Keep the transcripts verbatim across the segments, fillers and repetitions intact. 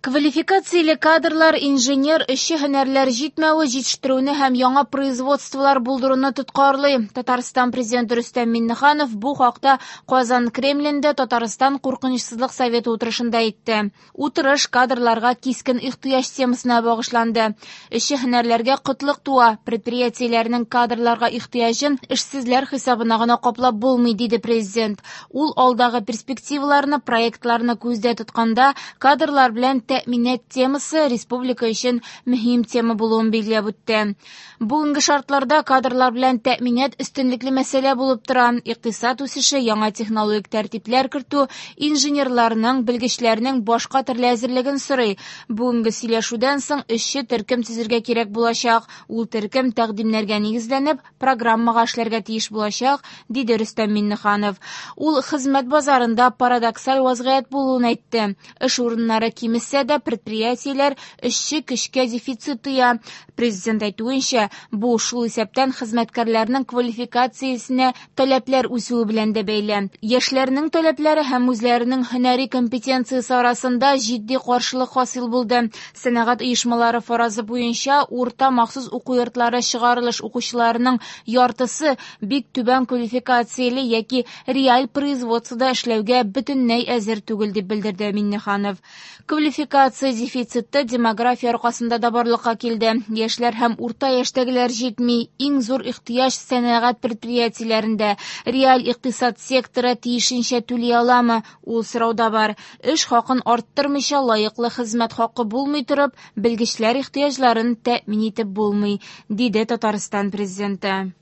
Квалификацияле кадрлар, инженер, эшче һөнәрләр җитмәве җитештерүне һәм яңа производстволар булдыруны тоткарлый. Татарстан президенты Рөстәм Миңнеханов бу хакта Казан Кремлендә Татарстан куркынычсызлык советы утырышында әйтте. Утырыш кадрларга кискен ихтыяҗ темасына багышланды. Эшче һөнәрләргә кытлык туа, предприятиеләрнең кадрларга ихтыяҗын эшсезләр хисабына гына каплап булмый, диде президент. Ул алдагы перспективаларны, проектларны күздә тотканда кадрлар белән тәэминат темасы республика өчен мөһим тема булуын билгеләп үтте. Бүгенге шартларда кадрлар белән тәэминат өстенлекле мәсьәлә булып тора. Икътисад үсеше, яңа технологик тәртипләр кертү инженерларның, белгечләрнең башка төрле әзерлеген сорый. Бүгенге сөйләшүдән соң эшче төркем төзергә кирәк булачак. Ул төркем тәкъдимнәргә нигезләнеп программага эшләргә тиеш булачак, диде Рөстәм Миңнеханов. Ул хезмәт базарында парадоксаль вазгыять булуын әйтте. Эш урыннары кимесә дә предприятиеләр эшче көчкә дефицит тоя. Президент әйтүенчә, бу шул исәптән хезмәткәрләрнең квалификациясенә таләпләр үсүе белән дә бәйле. Яшьләрнең таләпләре һәм үзләренең һөнәри компетенциясе арасында җитди каршылык хасил булды. Сәнәгать оешмалары фаразы буенча урта махсус уку йортлары чыгарылыш укучыларының яртысы бик түбән квалификацияле яки реаль производствода эшләүгә бөтенләй әзер түгел, дип белдерде Миңнеханов. Квалификация дефициты демография аркасында да барлыкка килде. Яшьләр һәм урта яшьтәгеләр җитми. Иң зур ихтыяҗ сәнәгать предприятиеләрендә. Реаль икътисад секторы тиешенчә түли аламы? Ул сорау да бар. Эш хакын арттырмыйча лаеклы хезмәт хакы булмый торып, белгечләр ихтыяҗларын тәэмин итеп булмый, диде Татарстан президенты.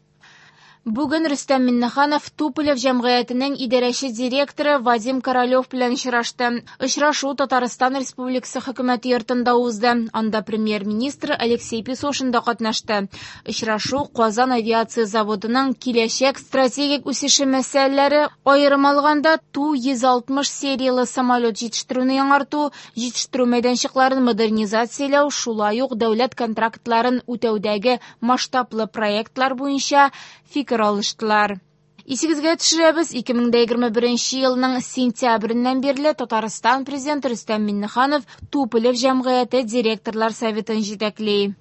Бүген Рөстәм Миңнеханов Туполев җәмгыятенең идарәче директоры Вадим Королев белән очрашты. Очрашу Татарстан Республикасы хөкүмәте йортында узды. Анда премьер-министр Алексей Песошин да катнашты. Очрашу Казан авиация заводының киләчәк стратегик үсеше мәсьәләләре, аерым алганда Ту йөз алтмыш сериялы самолет җитештерүне яңарту, җитештерү мәйданчыкларын модернизацияләү, шулай ук дәүләт контрактларын үтәүдәге масштаблы проектлар буенча фикер алыштылар. Исегезгә төшерәбез, ике мең дә егерме беренче елның сентябреннән бирле Татарстан президенты Рөстәм Миңнеханов Туполев җәмгыяте директорлар советын җитәкли.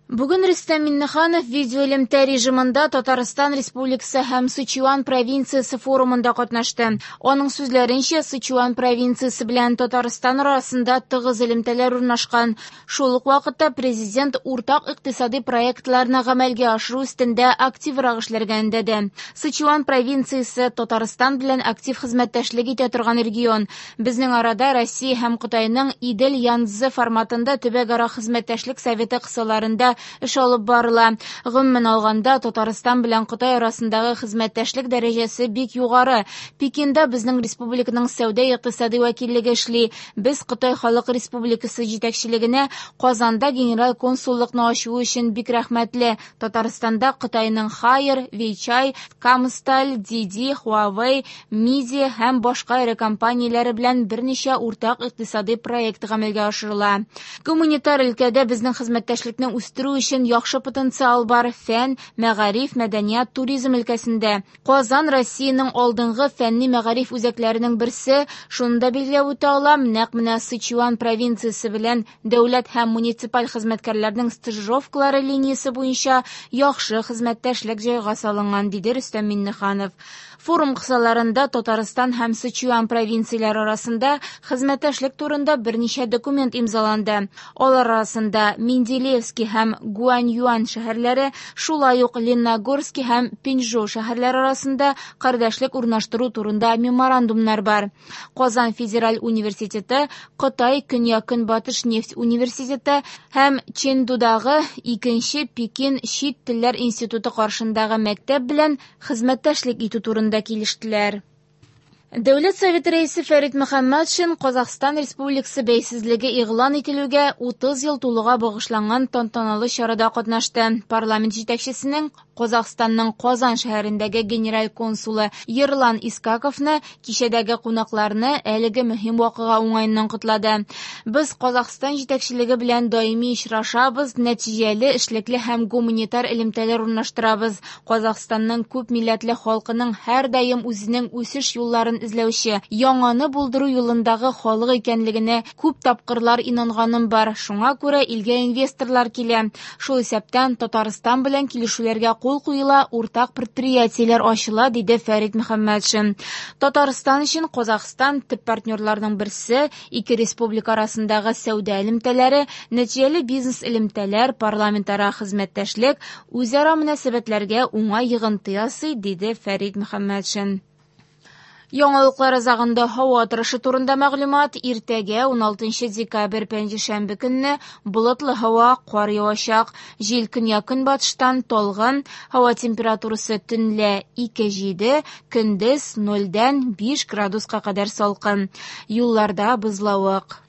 Бүген Рөстәм Миңнеханов видеоэлемтә режимында Татарстан Республикасы һәм Сычуан провинциясе форумында катнашты. Аның сүзләренчә, Сычуан провинциясе белән Татарстан арасында тыгыз элемтәләр урнашкан. Шул ук вакытта президент уртак икътисади проектларны гамәлгә ашыру өстендә активрак эшләргә өндәде. Сычуан провинциясе Татарстан белән актив хезмәттәшлек итә торган регион. Безнең арада Россия һәм Кытайның Идел-Янцзы форматында төбәкара хезмәттәшлек советы кысаларында эш алып барыла. Гомумән алганда, Татарстан белән Кытай арасындагы хезмәттәшлек дәрәҗәсе бик югары. Пекинда безнең республиканың сәүдә-икътисади вәкиллеге эшли. Без Кытай Халык Республикасы җитәкчелегенә Казанда генераль консуллыкны ачу өчен бик рәхмәтле. Татарстанда Кытайның Хайер, Вейчай, Камсталь, Диди, Huawei, Миди һәм башка эре компанияләре белән берничә уртак икътисади проект гамәлгә ашырыла. Гуманитар өлкәдә безнең хезмәттәшлекне үстерү өчен яхшы потенциал бар. Фән, мәгариф, мәдәният, туризм өлкәсендә. Казан Россиянең алдынгы фәнни мәгариф үзәкләренең берсе. Шуны да билгеләп үтә алам, нәкъ менә Сычуан провинциясе белән дәүләт һәм муниципаль хезмәткәрләрнең стажировкалары линиясе буенча яхшы хезмәттәшлек җайга салынган, диде Рөстәм Миңнеханов. Форум кысаларында Татарстан һәм Сычуан провинцияләре арасында хезмәттәшлек турында берничә документ имзаланды. Алар арасында Менделеевский һәм Гуаньюань шәһәрләре, шулай ук Лениногорский һәм Пинчжоу шәһәрләре арасында кардәшлек урнаштыру турында меморандумнар бар. Казан федераль университеты, Кытай Көньяк-Көнбатыш нефть университеты һәм Чэндудагы икенче Пекин чит телләр институты каршындагы мәктәп белән хезмәттәшлек итү турында килештеләр. Дәүләт Советы рәисе Фәрит Мөхәммәтшин Казахстан Республикасы бәйсезлеге игълан ителүгә утыз ел тулуга багышланган тантаналы чарада катнашты. Парламент җитәкчесенең Казахстанның Казан шәһәрендәге генераль консулы Ерлан Искаковны кичәдәге кунакларны әлеге мөһим вакыйга уңаеннан котлады. Без Казахстан җитәкчелеге белән даими очрашабыз, нәтиҗәле, эшлекле һәм гуманитар элемтәләр урнаштырабыз. Казахстанның күп милләтле халкының һәрдаим үзенең үсеш юлларын юлларын эзләүче, яңаны булдыру юлындагы халык икәнлегенә күп тапкырлар инанганым бар. Шуңа күрә илгә инвесторлар килә. Шул исәптән Татарстан белән килешүләргә кул куела, уртак предприятиеләр ачыла, диде Фәрит Мөхәммәтшин. Татарстан өчен Казахстан төп партнерларның берсе, ике республика арасындагы сәүдә элемтәләре, нәтиҗәле бизнес элемтәләр, парламентара хезмәттәшлек үзара мөнәсәбәтләргә уңай йогынты ясый, диде Фәрит Мөхәммәтшин. Яңалыклар азагында һава торышы турында мәгълүмат. Иртәгә, уналтынчы декабрь, пәнҗешәмбе көнне болытлы һава, кар явачак. Җил көньяк-көнбатыштан талгын. Һава температурасы төнлә ике җиде, көндез нольдән биш градуска кадәр салкын. Юлларда бозлавык.